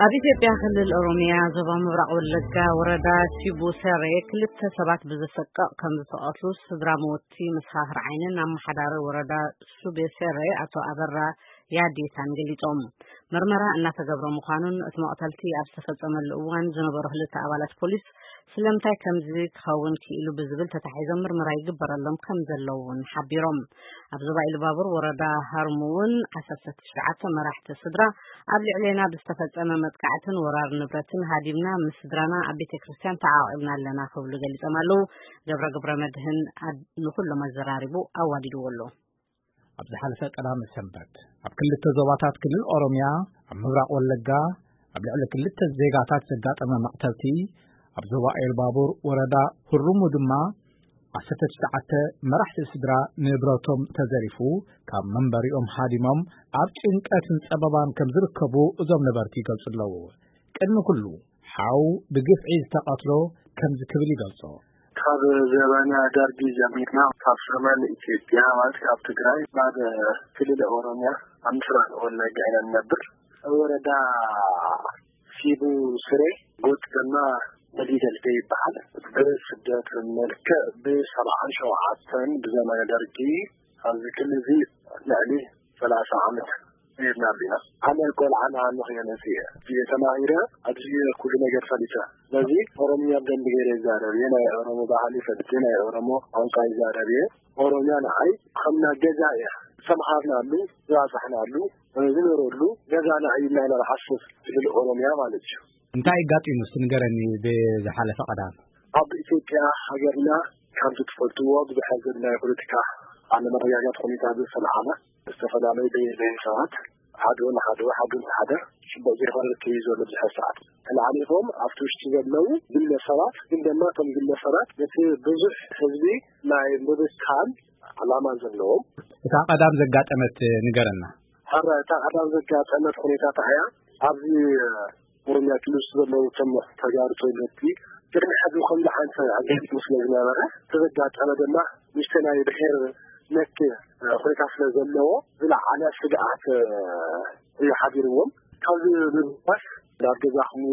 ኣብ ኢትዮጵያ ክልል ኦሮሚያ ዞባ ምብራቕ ወለጋ ወረዳ ሲቡ ሰሬ ክልተ ሰባት ብዘሰቅቕ ከም ዝተቐትሉ ስድራ መወቲ መሰኻኽር ዓይንን ኣመሓዳሪ ወረዳ ሱቤ ሰሬ ኣቶ ኣበራ ያዴታን ገሊጾም። መርመራ እናተገብረ ምዃኑን እቲ መቕተልቲ ኣብ ዝተፈጸመሉ እዋን ዝነበሩ ክልተ ኣባላት ፖሊስ ስለምንታይ ከምዚ ክኸውን ክኢሉ ብዝብል ተታሒዞም ምርመራ ይግበረሎም ከም ዘለዉ እውን ሓቢሮም። ኣብ ዞባ ኢሉባቡር ወረዳ ሃርሙ እውን ዓሰርተ ትሽዓተ መራሕቲ ስድራ ኣብ ልዕሌና ብዝተፈጸመ መጥቃዕትን ወራር ንብረትን ሃዲምና ምስ ስድራና ኣብ ቤተ ክርስቲያን ተዓቒብና ኣለና ክብሉ ገሊጾም ኣለዉ። ገብረ ግብረ መድህን ኣድ-፣ ንኹሎም ኣዘራሪቡ ኣዋዲድዎ ኣሎ። ኣብ ዝሓለፈ ቀዳመ ሰንበት ኣብ ክልተ ዞባታት ክልል ኦሮሚያ ኣብ ምብራቕ ወለጋ ኣብ ልዕሊ ክልተ ዜጋታት ዘጋጠመ መቕተልቲ፣ ኣብ ዞባ ኤልባቡር ወረዳ ሁሩሙ ድማ ዓሰርተ ትሽዓተ መራሕቲ ስድራ ንብረቶም ተዘሪፉ፣ ካብ መንበሪኦም ሃዲሞም ኣብ ጭንቀትን ጸበባን ከም ዝርከቡ እዞም ነበርቲ ይገልጹ ኣለዉ። ቅድሚ ኩሉ፣ ሓው ብግፍዒ ዝተቐትሎ ከምዚ ክብል ይገልጾ። ካብ ዘበነ ደርጊ ጀሚርና፣ ካብ ሰሜን ኢትዮጵያ ማለት ካብ ትግራይ ናብ ክልል ኦሮሚያ ኣብ ምስራቅ ወለጋ ኢና ንነብር። ወረዳ ሲቡ ስሬ ጎጥ ድማ በሊደልደ ይበሃል። ብስደት መልክዕ ብሰብዓን ሸውዓተን ብዘመነ ደርጊ ኣብዚ ክልል እዚ ልዕሊ ሰላሳ ዓመት ኔርና ኣለና። ኣነ ቆልዓ እናሃለኹ እየ መፂአ። እየ ተማሂረ፣ ኣብዚ እየ ኩሉ ነገር ፈሊጠ። ስለዚ ኦሮምኛ ብደንቢ ገይረ ይዛረብ እየ። ናይ ኦሮሞ ባህሊ ፈሊጠ፣ ናይ ኦሮሞ ቋንቋ ይዛረብ እየ። ኦሮምያ ንዓይ ከምና ገዛ እያ። ዝተምሃርናሉ፣ ዝባፃሕናሉ፣ ዝነበረሉ ገዛና እዩ ኢልና ኢና ንሓስብ። ክልል ኦሮምያ ማለት እዩ። እንታይ ኣጋጢሙ እስቲ ንገረኒ ብዝሓለፈ ቀዳም? ኣብ ኢትዮጵያ ሃገርና ከምቲ ትፈልጥዎ ብዙሕ ዘድላይ ፖለቲካ ኣለመረጋጋት ኩነታት ዝሰምዓና ዝተፈላለዩ ብሄር ብሄረሰባት ሓደ ንሓደ ሓደ ንሓደ ጽቡቕ ዘይኮነ ርክብ እዩ ዘሎ ብዙሕ ሰዓት። ተላዓሊፎም ኣብቲ ውሽጢ ዘለዉ ግለሰባት ግን ድማ እቶም ግለሰባት ነቲ ብዙሕ ህዝቢ ናይ ምብታን ዓላማ ዘለዎም። እታ ቀዳም ዘጋጠመት ንገረና። ሕረ እታ ቀዳም ዘጋጠመት ኩነታት እያ። ኣብዚ ኦሮምያ ክልል ውስጥ ዘለዉ እቶም ተጋሩ ተወለድቲ ቅድሚ ሕዚ ከምዚ ዓይነት ኣጋጢሙ ስለ ዝነበረ፣ እቲ ዘጋጠመ ድማ ንእሽተይ ናይ ብሄር ነክ ኩነታት ስለ ዘለዎ ዝለዓለ ስግኣት እዩ ሓዲርዎም። ካብዚ ብምባል ናብ ገዛኹም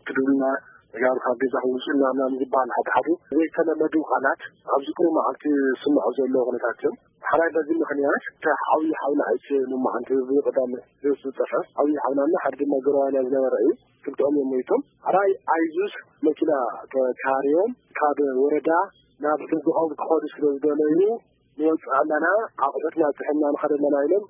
ክድውልና፣ ተጋሩ ካብ ገዛኹም ውፅእና ምናምን ዝበሃል ሓደ ሓደ ዘይተለመዱ ቃላት ኣብዚ ቅሩብ መዓልቲ ዝስምዑ ዘለዉ ኩነታት እዮም። ሓራይ በዚ ምኽንያት እቲ ዓብዪ ሓውና ኣይተ ሙማዓንቲ ብቐዳም ዝጠፍዐ ዓብዪ ሓውናና ሓደ ድማ ጎረባብና ዝነበረ እዩ። ክልተኦም እዮም ሞይቶም። ሓራይ ኣይዙዝ መኪና ተካርዮም ካብ ወረዳ ናብ ገዝኦም ክኸዱ ስለ ዝደለዩ ንወፅእ ኣለና፣ ኣቑሑትና ፅሒንና ንኸድ ኣለና ኢሎም፣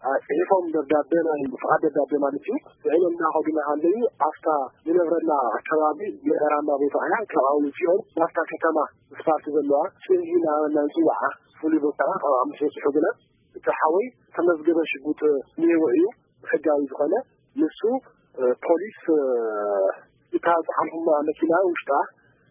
አ፣ ፅሒፎም ደብዳቤ፣ ናይ ፍቓድ ደብዳቤ ማለት እዩ። ፅዒኖም እናኸዱ እናሃለዩ ኣብታ ንነብረላ ኣከባቢ ገጠራማ ቦታ እያ። ካብኣ ውፂኦም ናብታ ከተማ ስፋልት ዘለዋ ፅምዚ እናበልና ንፅውዓ ፍሉይ ቦታ ካብኣ ምስ በፅሑ ግና እቲ ሓወይ ተመዝገበ ሽጉጥ እኒሄዎ እዩ፣ ሕጋዊ ዝኾነ። ንሱ፣ እ፣ ፖሊስ፣ እ፣ እታ ዝሓልፉማ መኪና ውሽጣ፣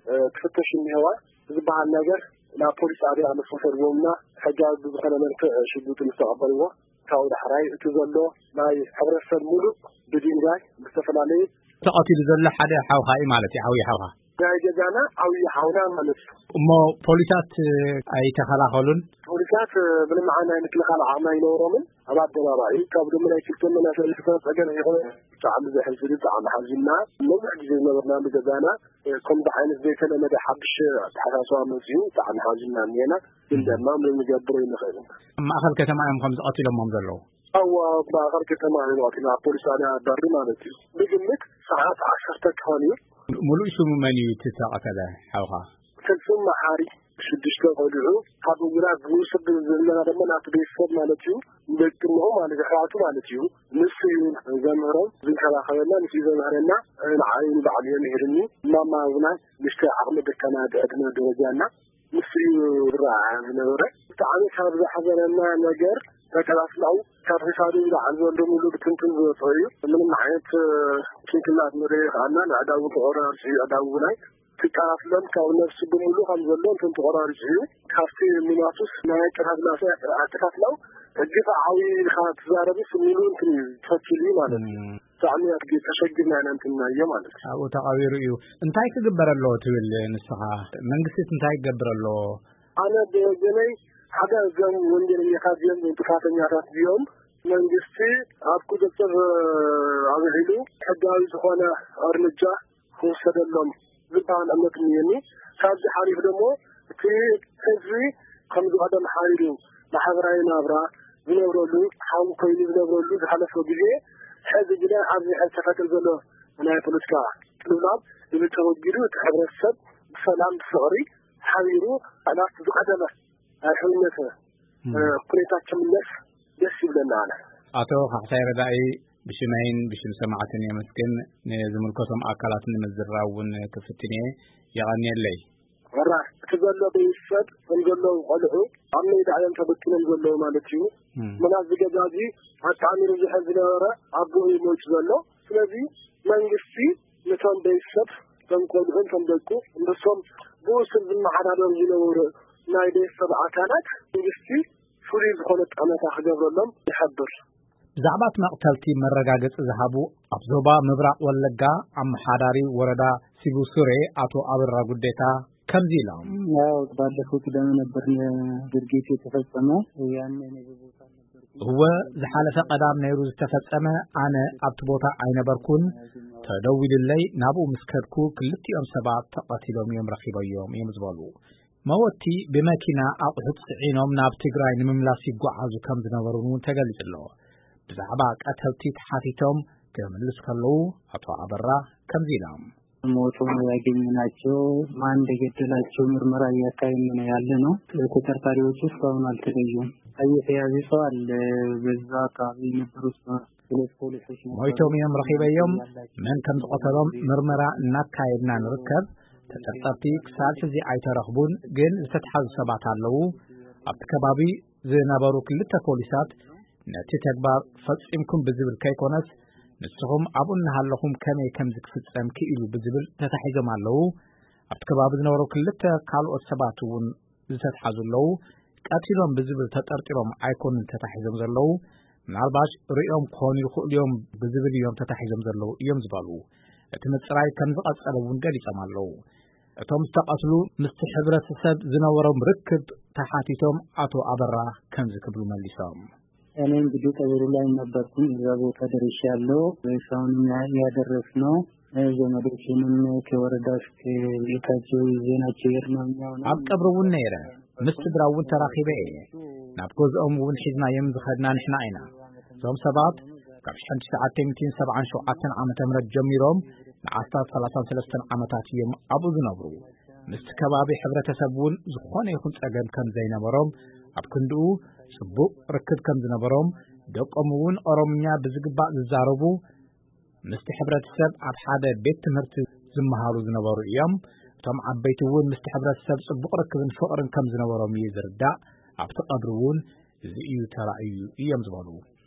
እ፣ ትፍተሽ እኒሄዋ ዝበሃል ነገር ናብ ፖሊስ ጣብያ ምስ ወሰድዎምና ሕጋዊ ብዝኾነ መልክዕ ሽጉጥ ምስ ተቐበልዎ፣ ካብኡ ዳሕራይ እቲ ዘሎ ናይ ሕብረተሰብ ሙሉእ ብድንጋይ ብዝተፈላለየ ተቐቲሉ ዘሎ ሓደ ሓውኻ እዩ ማለት እዩ፣ ዓብዪ ሓውኻ። ናይ ገዛና ዓብዪ ሓውና ማለት እዩ። እሞ ፖሊሳት ኣይተኸላኸሉን? ፖሊሳት ምንም ዓይነት ናይ ምክልኻል ዓቕሚ ኣይነበሮምን። ኣብ ኣደባባይ ካብ ደሞ ናይ ክልተ መናእሰይ ዝተፈጠረ ጸገም ይኹን ብጣዕሚ ዘሕዝን፣ ብጣዕሚ ሓዚንና። ነዊሕ ግዜ ዝነበርናሉ ገዛና ከምዚ ዓይነት ዘይተለመደ ሓድሽ ኣተሓሳስባ መጺኡ ብጣዕሚ ሓዚንና እኒሄና። ግን ድማ ምንም ንገብሮ ኣይንኽእልን። ኣብ ማእኸል ከተማ እዮም ከምዚ ቀቲሎሞም ዘለዉ? ኣዋ፣ ኣብ ማእኸል ከተማ እዮም ቀቲሎም፣ ኣብ ፖሊስ ጣብያ በሪ ማለት እዩ። ብግምት ሰዓት ዓሰርተ ክኾን እዩ። ሙሉእ ሽሙ መን እዩ እቲ ዝተቐተለ ሓውኻ? ፍጹም መሓሪ። ሽዱሽተ ቆልዑ ካብ ውላድ ዝውስድ ዘለና ድማ ናቲ ቤተሰብ ማለት እዩ። ደቂ እሞ ማለት ኣሕዋቱ ማለት እዩ። ንሱ እዩ ዘምህሮም፣ ዝንከባኸበና፣ ንሱ እዩ ዘምህረና። ንዓይ ንባዕሉ እዩ ምሂርኒ። ማማ እውን ንእሽተይ ዓቕሚ ደካማ ዕድመ ደረጃና ንሱ እዩ ዝረኣ ዝነበረ። ብጣዕሚ ካብ ዘሕዘነና ነገር ተቀላስላው ካብ ክሳዱ ንላዕሊ ዘሎ ሙሉእ ብትንትን ዝወፅኦ እዩ። ምንም ዓይነት ጭንቅላት ንርኢ ይኸኣልና። ንኣእዳው ተቆራርፂ እዩ። ኣእዳው ናይ ትቀላስሎም ካብ ነፍሱ ብምሉእ ከም ዘሎ እንትን ተቆራሪፂ እዩ። ካብቲ ሙማቱስ ናይ ኣቀታትላ ኣቀታትላው ግፍዓዊ ኢልካ ትዛረብስ ሙሉእ እንትን እዩ ተኪሉ ማለት እዩ። ብጣዕሚ ኣድጊ ተሸጊርና ኢና እንትን ናዮ ማለት እዩ። ኣብኡ ተቐቢሩ እዩ። እንታይ ክግበር ኣለዎ ትብል ንስኻ? መንግስቲ እንታይ ክገብር ኣለዎ? ኣነ ብወገነይ ሓደ እዞም ወንጀለኛታት እዚኦም ጥፋተኛታት እዚኦም መንግስቲ ኣብ ቁፅፅር ኣውዒሉ ሕጋዊ ዝኾነ እርምጃ ክውሰደሎም ዝበሃል እምነት እኒሀኒ። ካብዚ ሓሊፉ ደግሞ እቲ ህዝቢ ከምዚ ቀደም ሓሪሩ ማሕበራዊ ናብራ ዝነብረሉ ሓዊ ኮይኑ ዝነብረሉ ዝሓለፈ ግዜ ሕዚ ግና ኣብዚ ሕዚ ተፈጥር ዘሎ ናይ ፖለቲካ ቅልውላው እዚ ተወጊዱ እቲ ሕብረተሰብ ብሰላም ብፍቕሪ ሓቢሩ ናብቲ ዝቀደመ ናይ ሕውነት ኩነታት ክምለስ ደስ ይብለና። ኣነ ኣቶ ካሕሳይ ረዳኢ ብሽመይን ብሽም ሰማዕትን የመስግን። ንዝምልከቶም ኣካላት ንምዝራብ እውን ክፍትን እየ። የቐንየለይ። ወራ እቲ ዘሎ ቤተሰብ ከም ዘለዉ ቆልዑ ኣብ ሜዳ እዮም ተበትኖም ዘለዉ ማለት እዩ። ምናት ዝገዛዚ ኣጣሚሩ ዝሕል ዝነበረ ኣቦ እዩ ሞይቱ ዘሎ። ስለዚ መንግስቲ ነቶም ቤተሰብ ከም ቆልዑ ከም ደቁ ንሶም ብኡ ስር ዝመሓዳደሩ ዝነበሩ ናይ ቤተሰብ ኣካላት መንግስቲ ፍሉይ ዝኾነ ጠመታ ክገብረሎም ይሓብር። ብዛዕባ እቲ መቕተልቲ መረጋገፂ ዝሃቡ ኣብ ዞባ ምብራቕ ወለጋ ኣመሓዳሪ ወረዳ ሲቡሱሬ ኣቶ ኣበራ ጉዴታ ከምዚ ኢሎም። ያው ባለፈው ቅዳሜ ነበር ድርጊት የተፈጸመው። ያኔ እኔ በቦታ አልነበርኩም። እወ፣ ዝሓለፈ ቀዳም ነይሩ ዝተፈጸመ። ኣነ ኣብቲ ቦታ ኣይነበርኩን። ተደዊሉለይ ናብኡ ምስ ከድኩ ክልቲኦም ሰባት ተቐቲሎም እዮም ረኺበዮም እዮም ዝበሉ። መወቲ ብመኪና ኣቑሑት ጽዒኖም ናብ ትግራይ ንምምላስ ይጓዓዙ ከም ዝነበሩ እውን ተገሊጹ ኣሎ። ብዛዕባ ቀተልቲ ተሓቲቶም ክምልስ ከለዉ ኣቶ ኣበራ ከምዚ ኢሎም። ሞቶ ነው ያገኘናቸው። ማን እንደገደላቸው ምርመራ እያካሄድን ነው ያለ ነው። ተጠርጣሪዎቹ እስካሁን አልተለዩም። የተያዘ ሰው አለ። በዛ አካባቢ የነበሩ ሰዎች ሁለት ፖሊሶች ነበሩ። ሞይቶም እዮም ረኺበዮም። መን ከም ዝቐተሎም ምርመራ እናካየድና ንርከብ። ተጠርጠርቲ ክሳብ ሕዚ ኣይተረኽቡን፣ ግን ዝተትሓዙ ሰባት ኣለዉ። ኣብቲ ከባቢ ዝነበሩ ክልተ ፖሊሳት ነቲ ተግባር ፈጺምኩም ብዝብል ከይኮነስ፣ ንስኹም ኣብኡ እናሃለኹም ከመይ ከምዚ ክፍጸም ክኢሉ ብዝብል ተታሒዞም ኣለዉ። ኣብቲ ከባቢ ዝነበሩ ክልተ ካልኦት ሰባት እውን ዝተትሓዙ ኣለዉ። ቀቲሎም ብዝብል ተጠርጢሮም ኣይኮኑን ተታሒዞም ዘለዉ። ምናልባሽ ርእዮም ክኾኑ ይኽእሉ እዮም ብዝብል እዮም ተታሒዞም ዘለዉ እዮም ዝበሉ። እቲ ምጽራይ ከም ዝቐጸለ እውን ገሊጾም ኣለዉ። እቶም ዝተቐትሉ ምስቲ ሕብረተሰብ ዝነበሮም ርክብ ተሓቲቶም ኣቶ ኣበራ ከምዚ ክብሉ መሊሶም። እኔ እንግዲህ ቀብሩ ላይ ነበርኩኝ። እዛ ቦታ ደርሻለሁ። ሬሳውንም ያ- ያደረስነው ዘመዶችንም ከወረዳ እስከ ቤታቸው ይዘናቸው የሄድነው እኛው ነን። ኣብ ቀብሪ እውን ነይረ፣ ምስ ስድራ እውን ተራኺበ እየ። ናብ ገዝኦም እውን ሒዝናዮም ዝኸድና ንሕና ኢና። እዞም ሰባት ካብ ሽሕን ትሽዓተ ሚእትን ሰብዓን ሸውዓተን ዓመተ ምህረት ጀሚሮም ንኣስታት ሰላሳን ሰለስተን ዓመታት እዮም ኣብኡ ዝነብሩ። ምስቲ ከባቢ ሕብረተሰብ እውን ዝኾነ ይኹን ጸገም ከም ዘይነበሮም፣ ኣብ ክንድኡ ጽቡቕ ርክብ ከም ዝነበሮም፣ ደቆም እውን ኦሮምኛ ብዝግባእ ዝዛረቡ፣ ምስቲ ሕብረተሰብ ኣብ ሓደ ቤት ትምህርቲ ዝመሃሩ ዝነበሩ እዮም። እቶም ዓበይቲ እውን ምስቲ ሕብረተሰብ ጽቡቕ ርክብን ፍቕርን ከም ዝነበሮም እዩ ዝርዳእ። ኣብቲ ቀብሪ እውን እዚ እዩ ተራእዩ እዮም ዝበሉ።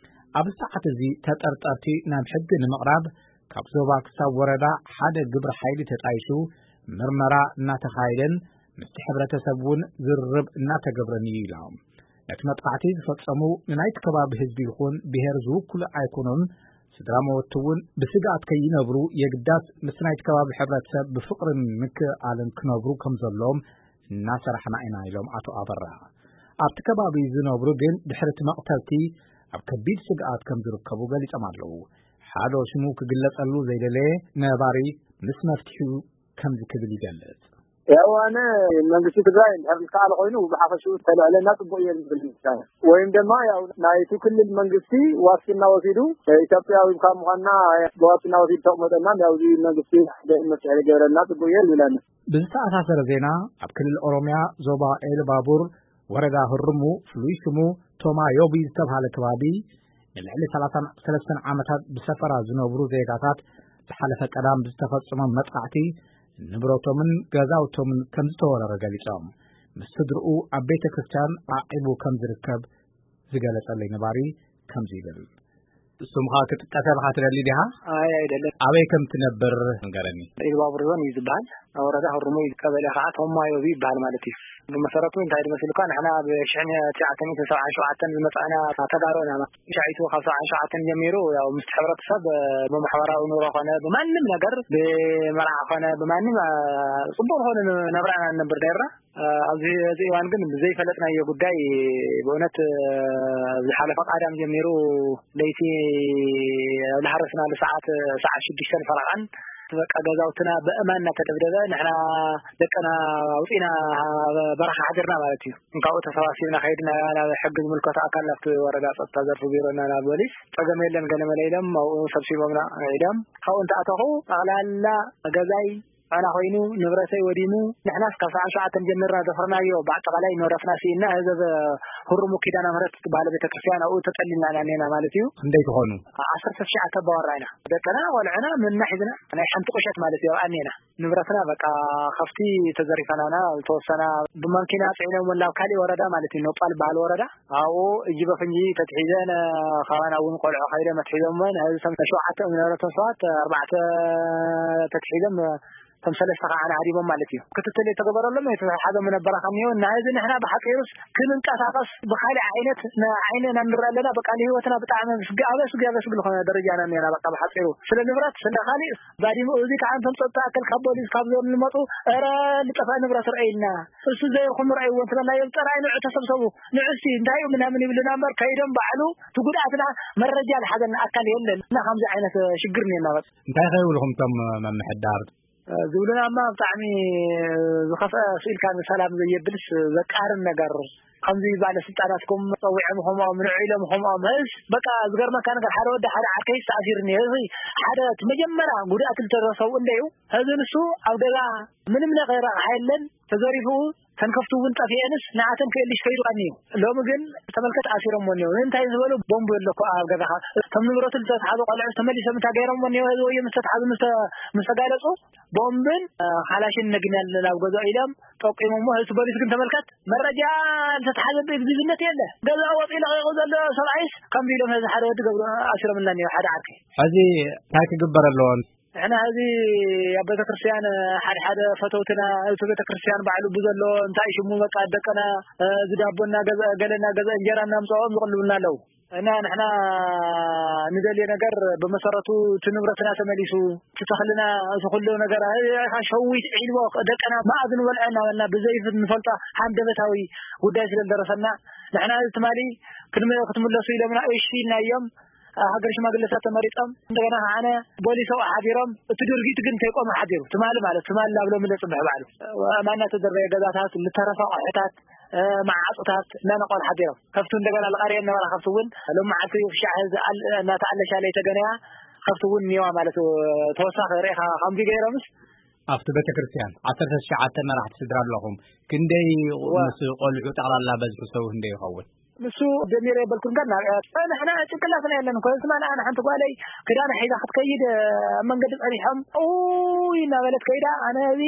ኣብዚ ሰዓት እዚ ተጠርጠርቲ ናብ ሕጊ ንምቕራብ ካብ ዞባ ክሳብ ወረዳ ሓደ ግብረ ሓይሊ ተጣይሹ ምርመራ እናተኻየደን ምስቲ ሕብረተሰብ እውን ዝርርብ እናተገብረን እዩ ኢሎም። ነቲ መጥቃዕቲ ዝፈጸሙ ንናይቲ ከባቢ ህዝቢ ይኹን ብሄር ዝውክሉ ኣይኮኑን። ስድራ መወቲ እውን ብስግኣት ከይነብሩ የግዳስ ምስ ናይቲ ከባቢ ሕብረተሰብ ብፍቕርን ምክእኣልን ክነብሩ ከም ዘለዎም እናሰራሕና ኢና ኢሎም ኣቶ ኣበራ። ኣብቲ ከባቢ ዝነብሩ ግን ድሕሪ እቲ መቕተልቲ ኣብ ከቢድ ስግኣት ከም ዝርከቡ ገሊጾም ኣለዉ። ሓደ ሽሙ ክግለጸሉ ዘይደለየ ነባሪ ምስ መፍትሒኡ ከምዚ ክብል ይገልጽ። ያው ኣነ መንግስቲ ትግራይ እንድሕር ዝከኣለ ኮይኑ ብሓፈሽኡ ተልዕለና ፅቡቅ እየ ዝብል። ወይም ድማ ያው ናይቲ ክልል መንግስቲ ዋስትና ወሲዱ ኢትዮጵያዊ ካብ ምኳንና ብዋስትና ወሲዱ ተቅመጠና ያው እዚ መንግስቲ ሓደ መፍትሒ ገይረልና ፅቡቅ እየ ዝብል ኣነ። ብዝተኣሳሰረ ዜና ኣብ ክልል ኦሮሚያ ዞባ ኤልባቡር ወረዳ ህርሙ ፍሉይ ሽሙ ቶማ ዮቢ ዝተባሃለ ከባቢ ንልዕሊ ሰላሳን ሰለስተን ዓመታት ብሰፈራ ዝነብሩ ዜጋታት ዝሓለፈ ቀዳም ብዝተፈጸመ መጥቃዕቲ ንብረቶምን ገዛውቶምን ከም ዝተወረረ ገሊጾም። ምስ ስድርኡ ኣብ ቤተ ክርስቲያን ዓዒቡ ከም ዝርከብ ዝገለጸለይ ነባሪ ከምዚ ይብል። ስምኻ ክጥቀስ ኢኻ ትደሊ ዲኻ? ኣይ ኣይደለን። ኣበይ ከም ትነብር ንገረኒ። ኢሉባቡር ዞን እዩ ዝበሃል። ኣብ ወረዳ ህሩሙ እዩ። ቀበሌ ከዓ ቶማዮቢ ይበሃል ማለት እዩ። ብመሰረቱ እንታይ ድመሲልካ፣ ንሕና ብ ሽሕን ትሽዓተ ሚእትን ሰብዓን ሸውዓተን ዝመጻእና ተጋሩ ኢና። ሻዒቱ ካብ ሰብዓን ሸውዓተን ጀሚሩ፣ ያው ምስቲ ሕብረተሰብ፣ እ፣ ብማሕበራዊ ኑሮ ኾነ ብማንም ነገር፣ ብመርዓ ኾነ ብማንም፣ እ፣ ጽቡቕ ዝኾነ ን-፣ ነብራና ንነብር ነርና። እ፣ ኣብዚ፣ እዚ እዋን ግን ብዘይፈለጥናዮ ጉዳይ፣ ብእውነት፣ እ፣ ዝሓለፈ ቀዳም ጀሚሩ ለይቲ ኣብ ዝሃረስናሉ ሰዓት፣ ሰዓት ሽዱሽተን ፈረቓን፣ በቃ ገዛውትና ብእማን እናተደብደበ፣ ንሕና ደቅና ኣውፂና በረኻ ሓዲርና ማለት እዩ። እንካብኡ ተሰባሲብና ከይድና ናብ ሕጊ ዝምልከቶ ኣካል፣ ናብቲ ወረዳ ጸጥታ ዘርፊ ቢሮ እና ናብ ፖሊስ፣ ጸገም የለን ገለ መለ ኢሎም ኣብኡ ሰብሲቦምና ኢሎም። ካብኡ እንተኣተኹ ጠቕላላ ገዛይ ዕና ኮይኑ፣ ንብረተይ ወዲሙ። ንሕናስ ካብ ሰዓት ሸውዓተ ጀሚርና ዘፍረናዮ ብኣጠቓላይ ንብረትና ስኢና፣ ህዝብ ህሩሙ ኪዳነ ምህረት ትበሃል ቤተክርስትያን ኣብኡ ተጠሊልና ኢና እኔና ማለት እዩ። ክንደይ ትኾኑ? ዓሰርተ ትሽዓተ ኣባወራ ኢና። ደቅና፣ ቆልዕና፣ ምንና ሒዝና ናይ ሓንቲ ቁሸት ማለት እዩ ኣብኣ እኔና። ንብረትና በቃ ከፍቲ ተዘሪፈናና፣ ዝተወሰና ብማንኪና ጽዒኖም ናብ ካሊእ ወረዳ ማለት እዩ፣ ኖጳል በሃል ወረዳ። ኣብኡ እጅ በፍንጂ ተትሒዘን፣ ካባና እውን ቆልዑ ከይደ መትሒዞምወን። እዚ ሰም-፣ ሸውዓተ እዮም ዝነበረቶም ሰባት፣ ኣርባዕተ ተትሒዞም፣ እቶም ሰለስተ ከዓ ንዓዲቦም ማለት እዩ። ክትትል የተገበረሎም የተሓዘ ምነበራ ከኒዮ። እና እዚ ንሕና ብሓፂሩስ ክንንቀሳቐስ ብኻሊእ ዓይነት ን-፣ ዓይንና ንርኢ ኣለና። በቃ ንህይወትና ብጣዕሚ ስግ-፣ ኣብ ኣስጊ፣ ኣብ ኣስጊ ዝኾነ ደረጃ ኢና እኒአና። በቃ ብሓፂሩ ስለ ንብረት፣ ስለ ካሊእ ባዲሙ። እዚ ከዓ እንቶም ጸጥታ ኣክል ካብ ፖሊስ ካብ ዞን ዝመፁ፣ "ኧረ ልጠፍእ ንብረት ርአይልና፣ እሱ ዘይርኩም ርአይዎ" እንትበልናዮም፣ "ጥራይ ንዑ ተሰብሰቡ፣ ንዑ እስቲ እንታይ እዩ ምናምን" ይብሉና እምበር፣ ከይዶም ባዕሉ እቲ ጉድኣትና መረጃ ዝሓዘና ኣካል የለን። እና ከምዚ ዓይነት ሽግር እኒአና በቃ። እንታይ ከይብልኹም እቶም መምሕዳር? ዝብሉና እማ ብጣዕሚ ዝኸፍአ፣ ስኢልካ ንሰላም ዘየብልስ ዘቃርን ነገር። ከምዚ ባለስልጣናትኩም ጸዊዖም ኹምኦም፣ ንዑ ኢሎም ኹምኦም። እስ በቃ ዝገርመካ ነገር፣ ሓደ ወዲ ሓደ ዓርከይስ ተኣሲሩኒ። እዚ ሓደ እቲ መጀመርያ ጉድኣት ዝተደረሰው እንደዩ። እዚ ንሱ ኣብ ገዛ ምንም ነገር ረቕሓ የለን፣ ተዘሪፉ፣ ተንከፍቱ እውን ጠፊኤንስ ንዓተን ክእልሽ ከይዱ ቀንዩ። ሎሚ ግን ተመልከት፣ ኣሲሮምዎ እኒኦ። እንታይ ዝበሉ ቦምብ ኣሎ እኮ ኣብ ገዛኻ። እቶም ንብረቱ ዝተትሓዙ ቆልዑ ተመሊሶም እንታይ ገይሮምዎ እኒኦ? እዚ ወዮ ምስ ተትሓዙ፣ ምስ ተ-፣ ምስ ተጋለጹ፣ ቦምብን፣ እ፣ ካላሽን ነግኒ ኣለና ኣብ ገዛኡ ኢሎም ጠቂሞምዎ። እቲ ፖሊስ ግን ተመልከት፣ መረጃ ዝተትሓዘ ብግዝነት የለ። ገዛኡ ወፂኡ ለቒቑ ዘሎ ሰብኣይስ ከምዚ ኢሎም፣ እዚ ሓደ ወዲ ገብሩ ኣሲሮምና እኒኦ፣ ሓደ ዓርከይ። ሕዚ እንታይ ክግበር ኣለዎ? ንሕና ሕዚ ኣብ ቤተክርስትያን ሓደ ሓደ ፈተውትና፣ እቲ ቤተክርስትያን ባዕሉ ብዘሎ እንታይ ሽሙ በቃ ደቅና፣ እ፣ ዝዳቦ እናገዝአ፣ ገለ እናገዝአ፣ እንጀራ እናምፅኦም ዝቕልቡና ኣለዉ። እና ንሕና ንደልዮ ነገር ብመሰረቱ እቲ ንብረትና ተመሊሱ፣ እቲ ተኽልና፣ እቲ ኩሉ ነገር፣ እ፣ ሸዊት ዒልቦ ደቅና መኣዝ ንበልዖ እናበልና ብዘይ ንፈልጦ ሃንደበታዊ ጉዳይ ስለ ዝደረሰና፣ ንሕና እዚ ትማሊ ክንመ-፣ ክትምለሱ ኢሎምና እሺ ኢልና እዮም። ሃገር ሽማግለታት ተመሪጾም፣ እንደገና ከዓነ ፖሊስ ኣብኡ ሓዲሮም፣ እቲ ድርጊት ግን ከይቆመ ሓዲሩ። ትማሊ ማለት፣ ትማሊ ናብ ሎሚ ዘጽንሕ ባዕሉ። ኣእማን እናተደርበየ ገዛታት፣ ዝተረፈ ኣቑሑታት፣ እ፣ መዓጹታት እናነቐሉ ሓዲሮም። ከብቱ እንደገና ልቐርየን ነበራ፣ ከብቱ እውን ሎም መዓልቲ ክሻዕ ዝኣል-፣ እናተኣለሻ ለይተገነያ ከብቱ እውን እኒዋ ማለት እዩ። ተወሳኺ ርኢኻ ከምዚ ገይሮምስ። ኣብቲ ቤተክርስትያን ዓሰርተ ትሽዓተ መራሕቲ ስድራ ኣለኹም። ክንደይ እዋ። ምስ ቆልዑ ጠቕላላ በዝሒ ሰው ክንደይ ይኸውን? ንሱ ጀሚረ የበልኩን ጋር ናብ ንሕና ጭንቅላትና የለን እኮ። ስማ ንኣና ሓንቲ ጓለይ ክዳና ሒዛ ክትከይድ ኣብ መንገዲ ጸኒሖም ኡይ እናበለት ከይዳ ኣነ እዚ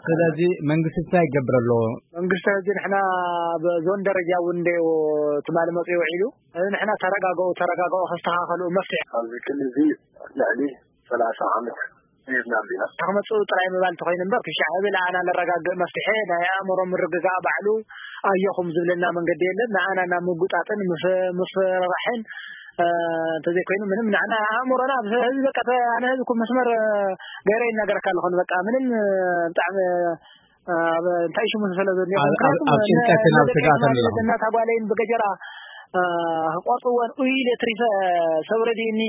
ስለዚ መንግስቲ እንታይ ይገብር ኣለዎ? መንግስቲ ሕዚ ንሕና ብዞን ደረጃ እውን እንደ ትማሊ መፅኡ ውዒሉ፣ እዚ ንሕና ተረጋገኡ፣ ተረጋገኡ፣ ከስተኻኸሉ መፍትሒ ኣብዚ ክልል እዚ ልዕሊ ሰላሳ ዓመት ሂብና ኣለና። ክመፅኡ ጥራይ ምባል እንተኾይኑ እምበር፣ ክሻዕ ህብል ኣና ነረጋግእ መፍትሒ ናይ ኣእምሮ ምርግጋእ ባዕሉ ኣየኹም ዝብለና መንገዲ የለን። ንኣና ናብ ምጉጣጥን ምፍ-፣ ምፍርራሕን፣ እ፣ እንተዘይኮይኑ ምንም ንሕና ኣእምሮና ኣብ ህዝቢ በቃ፣ ተ-፣ ኣነ ህዝቢ እኮ መስመር፣ እ፣ ገይረ ይናገረካ ኣለኹ። በቃ ምንም፣ እ፣ ብጣዕሚ፣ እ፣ ኣብ እንታይ ሽሙ ዝፈለ ዘሎ። ኣብ፣ ኣብ፣ ምክንያቱም ኣብ ጭንቀትን ኣብ ነ-፣ ስጋትን ነደቀይትና ኣለኹም። እናታ ጓለይን ብገጀራ፣ እ፣ ክቆርጥወን ኡይ ኢለ ትሪፈ ሰብ ረድእኒ፣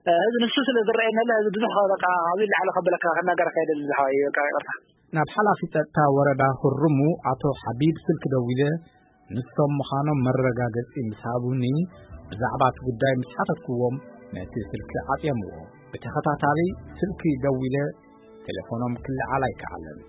እ፣ ህዝቢ ንሱ ስለ ዝረኣየኒ፣ ህዝቢ ብዙሕ በቃ፣ ካብኡ ንላዕሊ ከብለካ፣ ክናገረካ ኣይደልን ዝሓወይ፣ በቃ ይቅርታ። ናብ ሓላፊ ጸጥታ ወረዳ ሁሩሙ ኣቶ ሓቢብ ስልኪ ደዊለ፣ ንሶም ምዃኖም መረጋገጺ ምስ ሃቡኒ፣ ብዛዕባ እቲ ጉዳይ ምስ ሓተትክዎም፣ ነቲ ስልኪ ዓጽዮምዎ። ብተኸታታሊ ስልኪ ደዊለ፣ ቴሌፎኖም ክለዓል ኣይከኣለን።